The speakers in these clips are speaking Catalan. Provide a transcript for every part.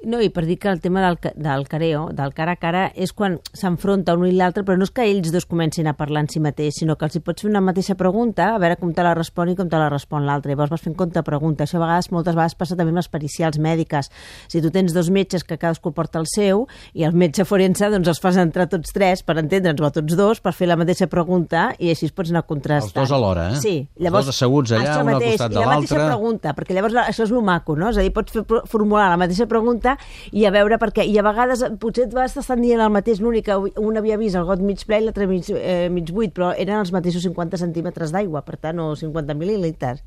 No, i per dir que el tema del careo, del cara a cara, és quan s'enfronta un i l'altre, però no és que ells dos comencin a parlar en si mateix, sinó que els hi pots fer una mateixa pregunta, a veure com te la respon i com te la respon l'altre. Llavors vas fent contrapregunta. Això a vegades, moltes vegades passa també amb les pericials mèdiques. Si tu tens dos metges que cadascú porta el seu i el metge forense, doncs els fas entrar tots tres per entendre'ns, o tots dos, per fer la mateixa pregunta i així es pots anar contrastant. Els dos alhora, eh? Sí. Llavors, els dos asseguts allà, un al costat de l'altre. I la mateixa pregunta, perquè llavors això és lo maco, no? És a dir, pots formular la mateixa pregunta i a veure per què. I a vegades potser t'estan dient el mateix, l'únic que un havia vist el got mig ple i l'altre mig buit, però eren els mateixos 50 centímetres d'aigua, per tant, o 50 mil·lilitres.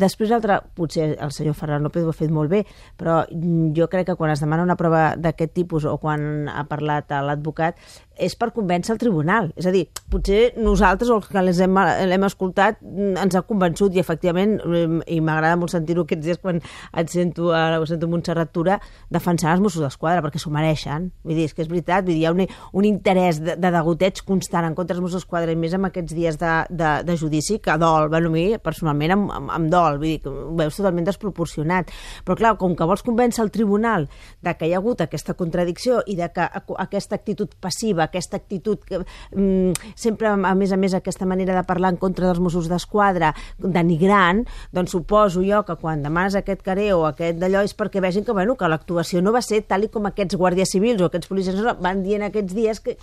Després l'altre, potser el senyor Ferran López ho ha fet molt bé, però jo crec que quan es demana una prova d'aquest tipus o quan ha parlat l'advocat és per convèncer el tribunal. És a dir, potser nosaltres, o els que l'hem escoltat, ens ha convençut i efectivament, i m'agrada molt sentir-ho aquests dies quan ho sento Montserrat Tura, defensar els Mossos d'Esquadra, perquè s'ho mereixen. Vull dir, és que és veritat, vull dir, hi ha un interès de degoteig constant en contra dels Mossos d'Esquadra, i més amb aquests dies de judici, que dol. Bueno, a mi, personalment, em dol. Vull dir, que ho veus totalment desproporcionat. Però, clar, com que vols convèncer el tribunal de que hi ha hagut aquesta contradicció i de que aquesta actitud passiva, aquesta actitud que sempre, a més, aquesta manera de parlar en contra dels Mossos d'Esquadra, denigrant, doncs suposo jo que quan demanes aquest careo o aquest d'allò és perquè vegin que, bueno, que l'actuació no va ser tal com aquests guàrdies civils o aquests policies van dient aquests dies que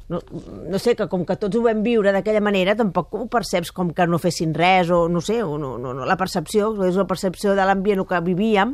no sé, que com que tots ho vam viure d'aquella manera, tampoc ho perceps com que no fessin res, o no sé, la percepció, és la percepció de l'ambient que vivíem,